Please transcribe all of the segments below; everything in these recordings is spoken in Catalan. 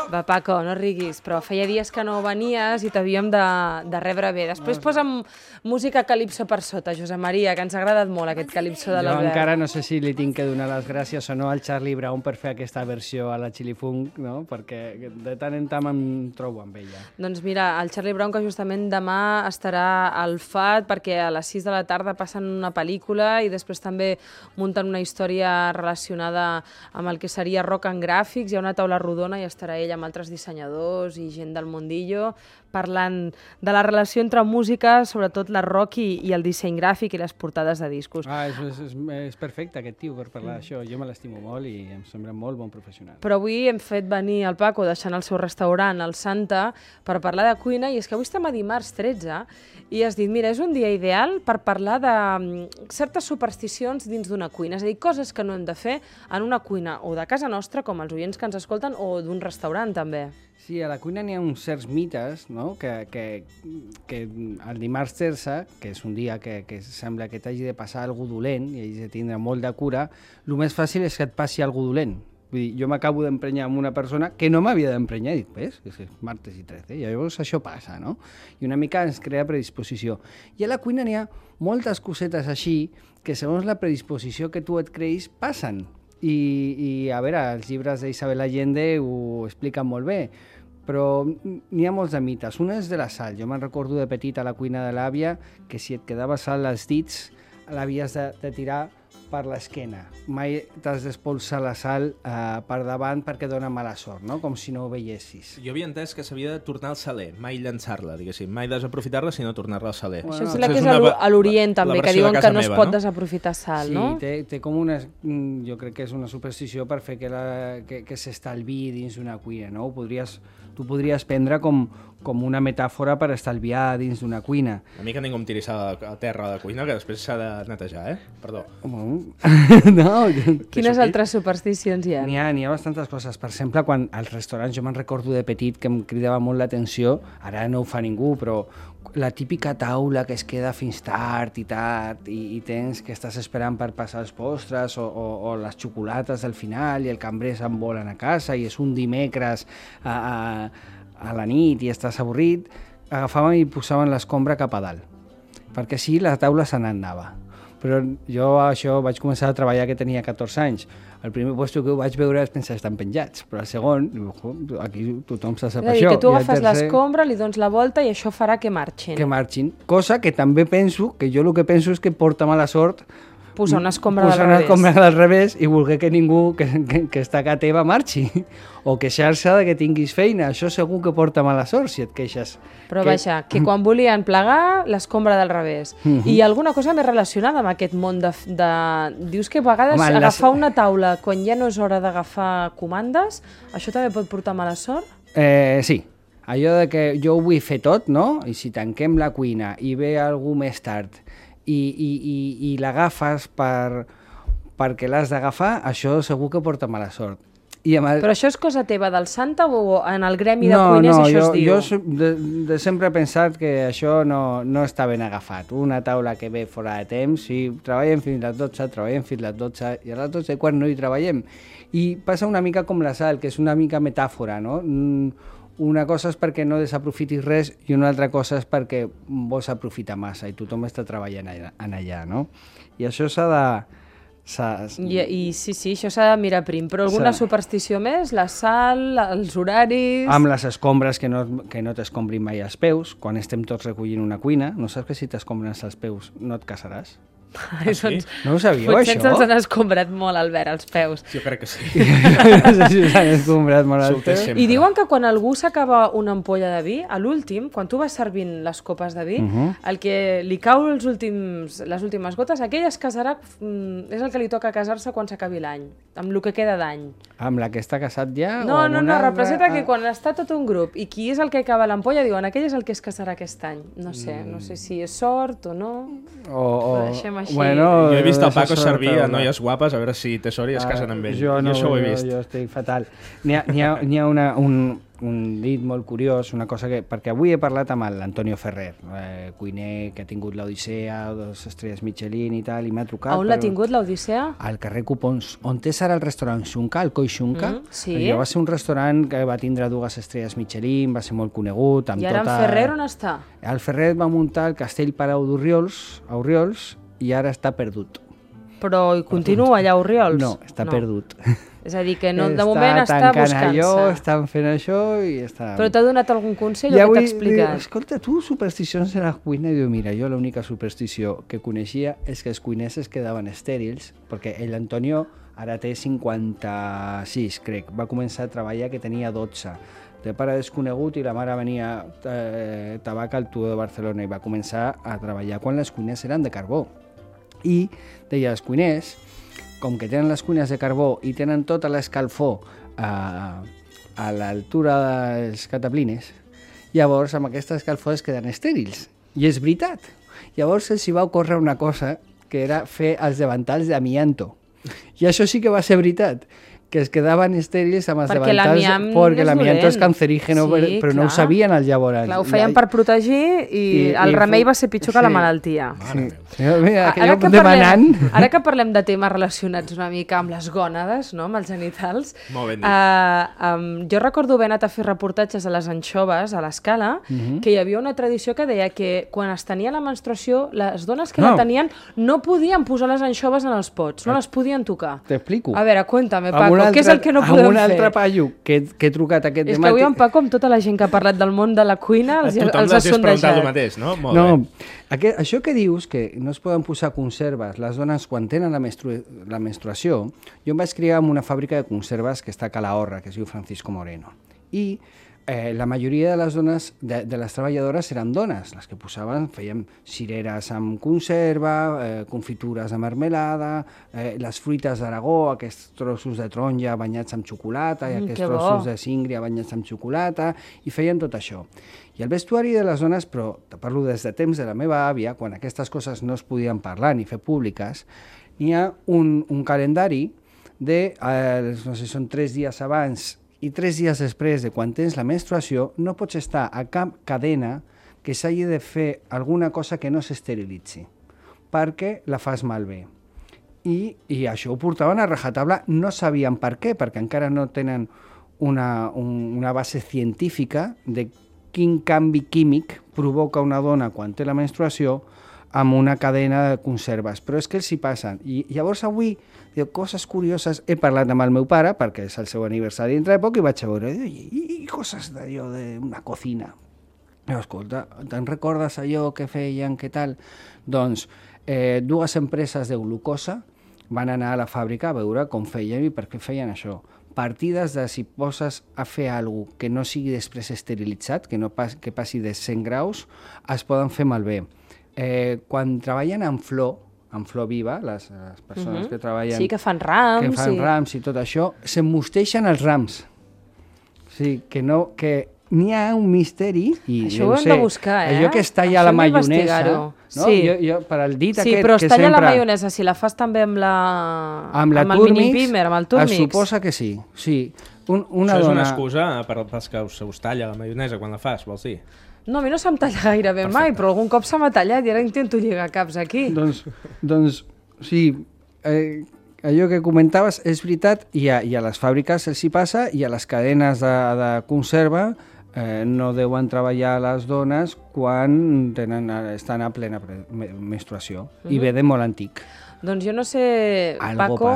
Va, Paco, no riguis, però feia dies que no venies i t'havíem de rebre bé. Després posa'm música calipso per sota, Josep Maria, que ens ha agradat molt aquest calipso de l'Albert. Jo encara no sé si li tinc que donar les gràcies o no al Charlie Brown per fer aquesta versió a la Chili Funk, no? Perquè de tant en tant em trobo amb ella. Doncs mira, el Charlie Brown, que justament demà estarà al FAT, perquè a les 6 de la tarda passen una pel·lícula i després també munten una història relacionada amb el que seria rock en gràfics. Hi ha una taula rodona i estarà ell amb altres dissenyadors i gent del mundillo parlant de la relació entre música, sobretot la rock i el disseny gràfic i les portades de discos. És perfecte aquest tio per parlar d'això. Jo me l'estimo molt i em sembla molt bon professional. Però avui hem fet venir el Paco deixant el seu restaurant, el Santa, per parlar de cuina, i és que avui estem a dimarts 13 i has dit, mira, és un dia ideal per parlar de certes supersticions dins d'una cuina, és a dir, coses que no hem de fer en una cuina o de casa nostra, com els oients que ens escolten, o d'un restaurant també. Sí, a la cuina n'hi ha uns certs mites, no? que el dimarts 13, que és un dia que sembla que t'hagi de passar algú dolent i hagis de tindre molt de cura, el més fàcil és que et passi algú dolent. Vull dir, jo m'acabo d'emprenyar amb una persona que no m'havia d'emprenyar, i dic, ves, és martes i 13, i llavors això passa, no? I una mica ens crea predisposició. I a la cuina n'hi ha moltes cosetes així que segons la predisposició que tu et creïs passen. I a veure, els llibres d'Isabel Allende ho expliquen molt bé, però n'hi ha molts de mites. Un és de la sal. Jo me'n recordo de petit a la cuina de l'àvia que si et quedava sal als dits l'havies de tirar per l'esquena. Mai t'has d'espolsar la sal per davant perquè dona mala sort, no? Com si no ho veiessis. Jo havia entès que s'havia de tornar al saler, mai llançar-la, diguéssim, mai desaprofitar-la, sinó tornar-la al saler. Això és la que és a l'Orient també, que diuen que no es pot desaprofitar sal, no? Sí, té com una... Jo crec que és una superstició per fer que s'estalviï dins d'una cuina, no? Tu podries prendre com una metàfora per estalviar dins d'una cuina. A mi que ningú em tiri a terra a la cuina, que després s'ha de netejar, Perdó. No. Quines altres supersticions hi ha? N'hi ha bastantes coses. Per exemple, quan als restaurants, jo me'n recordo de petit que em cridava molt l'atenció, ara no ho fa ningú, però la típica taula que es queda fins tard i tens que estàs esperant per passar els postres o les xocolates del final i el cambrer se'n volen a casa i és un dimecres a la nit i estàs avorrit, agafàvem i posaven l'escombra cap a dalt, perquè així la taula se n'anava. Però jo això vaig començar a treballar que tenia 14 anys. El primer lloc que ho vaig veure és pensar, estan penjats, però el segon, aquí tothom se sap això. És a dir, que tu agafes l'escombra, li dones la volta i això farà que marxin. Que marxin, cosa que també penso, que jo el que penso és que porta mala sort posar una escombra del revés i voler que ningú que està a casa teva marxi o queixar-se de que tinguis feina. Això segur que porta mala sort si et queixes. Però vaja, que quan volien plegar, l'escombra del revés. I alguna cosa més relacionada amb aquest món de... Dius que a vegades agafar una taula quan ja no és hora d'agafar comandes, això també pot portar mala sort? Sí. Allò de que jo ho vull fer tot, no? I si tanquem la cuina i ve algú més tard i l'agafes perquè l'has d'agafar, això segur que porta mala sort. Però això és cosa teva del Santa o en el gremi de cuiners això es diu? Jo sempre he pensat que això no està ben agafat. Una taula que ve fora de temps, si treballem fins les 12, treballem fins les 12 i a les 12 i quart no hi treballem. I passa una mica com la sal, que és una mica metàfora, no? Una cosa és perquè no desaprofitis res i una altra cosa és perquè vols aprofitar massa i tothom està treballant allà, no? I això s'ha de... I sí, això s'ha de mirar prim. Però alguna superstició més? La sal, els horaris... Amb les escombres que no t'escombrin mai els peus. Quan estem tots recollint una cuina, no saps que si t'escombren els peus no et casaràs? Sí? No ho sabíeu, potser això? ens han escombrat molt, Albert, els peus. Jo crec que sí. S'han escombrat molt els peus. I diuen que quan algú s'acaba una ampolla de vi, a l'últim, quan tu vas servint les copes de vi, el que li cau les últimes gotes, aquell es casarà, és el que li toca casar-se quan s'acabi l'any, amb el que queda d'any. Amb la que està casat ja? No, representa que quan està tot un grup i qui és el que acaba l'ampolla, diuen aquell és el que es casarà aquest any. No sé si és sort o no. O així. Jo he vist el Paco això servir sort, a noies guapes, a veure si té sort i es casen amb ell. Jo no, això ho he vist. Jo estic fatal. N'hi ha un dit molt curiós, una cosa que... Perquè avui he parlat amb l'Antonio Ferrer, cuiner que ha tingut l'Odissea, 2 estrelles Michelin i tal, i m'ha trucat... On l'ha tingut, l'Odissea? Al carrer Cupons, on té ara el restaurant Xunca, el Coi Xunca. Sí. Allò va ser un restaurant que va tindre 2 estrelles Michelin, va ser molt conegut. I ara en Ferrer on està? El Ferrer va muntar el Castell Palau d'Orriols, a Orriols, i ara està perdut. Però hi continua allà a Orriols? No, està perdut. És a dir, que no, de moment està buscant-se. Estan fent això i està... Però t'ha donat algun consell o què t'ha explicat? Escolta, tu supersticions en la cuina, diu, mira, jo l'única superstició que coneixia és que els cuiners es quedaven estèrils, perquè l'Antonio ara té 56, crec. Va començar a treballar que tenia 12. De pare desconegut i la mare venia tabac al Turó de Barcelona i va començar a treballar quan les cuines eren de carbó. I deia, els cuiners, com que tenen les cuines de carbó i tenen tota l'escalfor a l'altura dels cataplines, llavors amb aquesta escalfor es queden estèrils. I és veritat. Llavors els hi va ocórrer una cosa que era fer els davantals d'amianto. I això sí que va ser veritat, que es quedaven estèrils amb els davantals perquè l'amianto és cancerígeno, sí, però no ho sabien al llavors. Clar, ho feien per protegir i el remei va ser pitjor que la malaltia. Sí. Mira, que jo demanant... Ara que parlem de temes relacionats una mica amb les gònades, no? Amb els genitals, jo recordo haver anat a fer reportatges a les anxoves, a l'Escala, que hi havia una tradició que deia que quan es tenia la menstruació, les dones que la tenien no podien posar les anxoves en els pots, no les podien tocar. T'explico. A veure, cuéntame, Paco. Què és el que no podem fer? Amb un altre paio que he trucat aquest dematí... És que avui en Paco, amb tota la gent que ha parlat del món de la cuina, els ha sondejat. El mateix, no? Molt bé. Això que dius, que no es poden posar conserves les dones quan tenen la menstruació, jo em vaig criar en una fàbrica de conserves que està a Calahorra, que es diu Francisco Moreno. I la majoria de les dones, de les treballadores, eren dones. Les que posaven, feien cireres amb conserva, confitures de marmelada, les fruites d'Aragó, aquests trossos de taronja banyats amb xocolata, i aquests trossos de síngria banyats amb xocolata, i feien tot això. I el vestuari de les dones, però te parlo des de temps de la meva àvia, quan aquestes coses no es podien parlar ni fer públiques, n'hi ha un calendari de, no sé, són 3 dies abans i 3 dies després de quan tens la menstruació, no pots estar a cap cadena que s'hagi de fer alguna cosa que no s'esterilitzi, perquè la fas malbé. I això ho portaven a rajatabla, no sabien per què, perquè encara no tenen una base científica de quin canvi químic provoca una dona quan té la menstruació amb una cadena de conserves, però és que els hi passen. I llavors avui, coses curioses, he parlat amb el meu pare, perquè és el seu aniversari dintre de poc, i vaig a veure, i coses d'allò d'una cocina. Escolta, te'n recordes allò que feien, què tal? Doncs 2 empreses de glucosa van anar a la fàbrica a veure com feien i per què feien això. Partides de si poses a fer alguna cosa que no sigui després esterilitzat, que passi de 100 graus, es poden fer malbé. Quan treballen amb flor viva, les persones que treballen... Sí, que fan rams. Rams i tot això, s'emmosteixen els rams. O sigui, que n'hi ha un misteri... Això ho hem de buscar, Allò que es talla la maionesa... No? Sí. Jo, per al dit sí, aquest però es talla sempre... la maionesa, si la fas també amb el mini-pimer, amb el Turmix. Es suposa que sí. Això és una excusa pels que us talla la maionesa quan la fas, vols dir? No, a mi no se'm talla gairebé mai, però algun cop se m'ha tallat i ara intento lligar caps aquí. Doncs sí, allò que comentaves és veritat, i a les fàbriques els hi passa, i a les cadenes de conserva no deuen treballar les dones quan estan a plena menstruació, i ve de molt antic. Doncs jo no sé, Paco,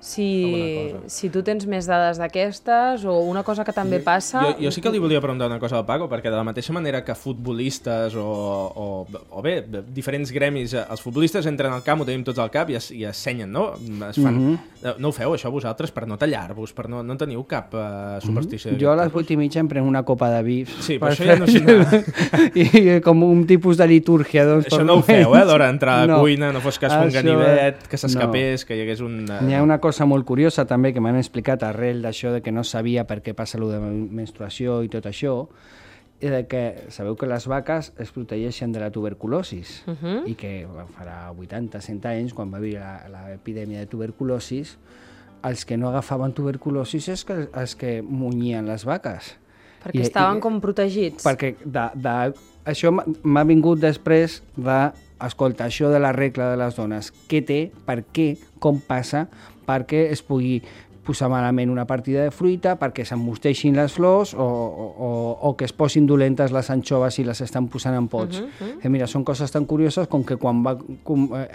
si tu tens més dades d'aquestes o una cosa que també passa... Jo sí que li volia preguntar una cosa al Paco, perquè de la mateixa manera que futbolistes o bé, diferents gremis, els futbolistes entren al camp, ho tenim tots al cap i assenyen, no? No ho feu, això vosaltres, per no tallar-vos, per no teniu cap superstició? Jo a les 8:30 em prenc una copa de vi. Sí, però això ja no sé nada. I com un tipus de litúrgia. Això no ho feu, d'hora d'entrar a la cuina, no fos cas un ganivet, que s'escapés, que hi hagués un... N'hi ha una cosa molt curiosa també que m'han explicat arrel d'això de que no sabia per què passa allò de menstruació i tot això, que sabeu que les vaques es protegeixen de la tuberculosis i que farà 80-100 anys, quan va haver l'epidèmia de tuberculosis, els que no agafaven tuberculosis és els que munyien les vaques. Perquè estaven com protegits. Perquè això m'ha vingut després d'escoltar això de la regla de les dones. Què té, per què, com passa, perquè es pugui posar malament una partida de fruita, perquè s'emmosteixin les flors o que es posin dolentes les anxoves i les estan posant en pots. Mira, són coses tan curioses com que quan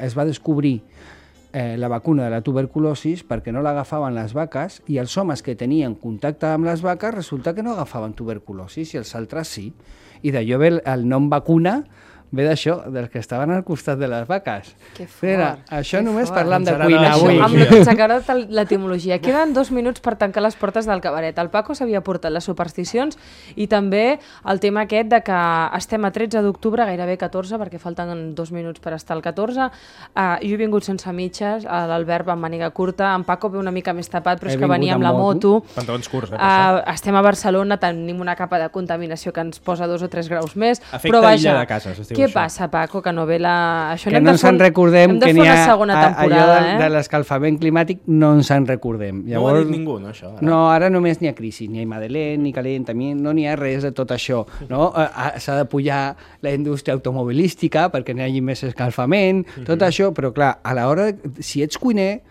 es va descobrir la vacuna de la tuberculosis, perquè no l'agafaven les vaques, i els homes que tenien contacte amb les vaques resulta que no agafaven tuberculosis i els altres sí. I d'allò ve el nom vacuna, ve d'això, dels que estaven al costat de les vaques. Que fort. Això només parlant de cuina avui. Ens ha agradat l'etimologia. Queden 2 minuts per tancar les portes del cabaret. El Paco s'havia portat les supersticions i també el tema aquest de que estem a 13 d'octubre, gairebé 14, perquè falten 2 minuts per estar al 14. Jo he vingut sense mitges, l'Albert va amb màniga curta, en Paco ve una mica més tapat, però és que venia amb la moto. Pantalons curts, estem a Barcelona, tenim una capa de contaminació que ens posa 2 o 3 graus més. Efecte illa de casa, què passa, Paco, que no ve la... Això que no ens en recordem que n'hi ha allò de eh? l'escalfament climàtic, no ens en recordem. Llavors, no ho ha dit ningú, no, això? No, ara només n'hi ha crisi, n'hi ha Madeleine, ni calentament, no n'hi ha res de tot això. No? S'ha de pujar la indústria automobilística perquè n'hi hagi més escalfament, tot això, però clar, a l'hora, si ets cuiner,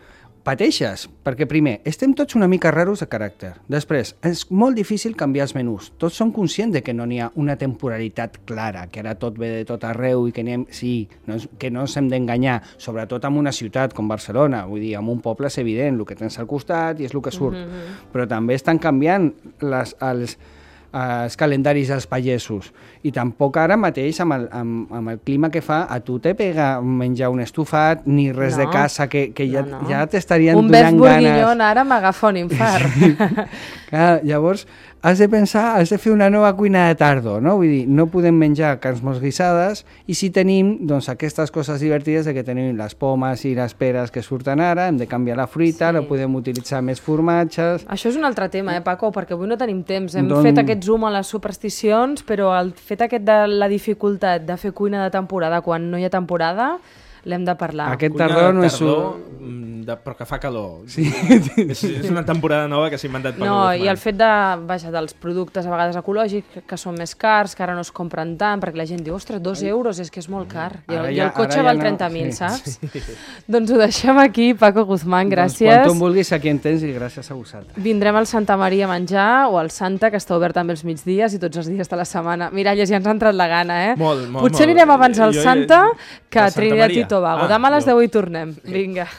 pateixes, perquè primer, estem tots una mica raros de caràcter. Després, és molt difícil canviar els menús. Tots som conscients de que no n'hi ha una temporalitat clara, que ara tot ve de tot arreu i que que no ens hem d'enganyar, sobretot en una ciutat com Barcelona. Vull dir, en un poble és evident, el que tens al costat i és el que surt. Però també estan canviant els calendaris dels pagesos. I tampoc ara mateix, amb el clima que fa, a tu te pega menjar un estofat, ni res de casa, que ja t'estarien donant ganes. Un bef bourguignon ara m'agafa un infart. Clar, llavors, has de pensar, has de fer una nova cuina de tardo, no? Vull dir, no podem menjar carns molt guisades i si tenim, doncs, aquestes coses divertides de que tenim les pomes i les peres que surten ara, hem de canviar la fruita, no podem utilitzar més formatges... Això és un altre tema, Paco, perquè avui no tenim temps. Hem fet aquest zoom a les supersticions, però el fet aquest de la dificultat de fer cuina de temporada quan no hi ha temporada, l'hem de parlar. Aquest tardor no és... però que fa calor. Sí. És una temporada nova que s'ha inventat per No, i el fet dels productes a vegades ecològics que són més cars, que ara no es compren tant, perquè la gent diu, ostres, 2 euros, és que és molt car. I el cotxe val 30.000, saps? Doncs ho deixem aquí, Paco Guzmán, gràcies. Quan tu em vulguis, aquí en tens i gràcies a vosaltres. Vindrem al Santa Maria a menjar, o al Santa, que està obert també els migdies i tots els dies de la setmana. Miralles, ja ens ha entrat la gana, eh? Molt. Potser anirem abans al Santa que a Trinidad i Tobago. Demà a les 10 hi tornem. Vinga.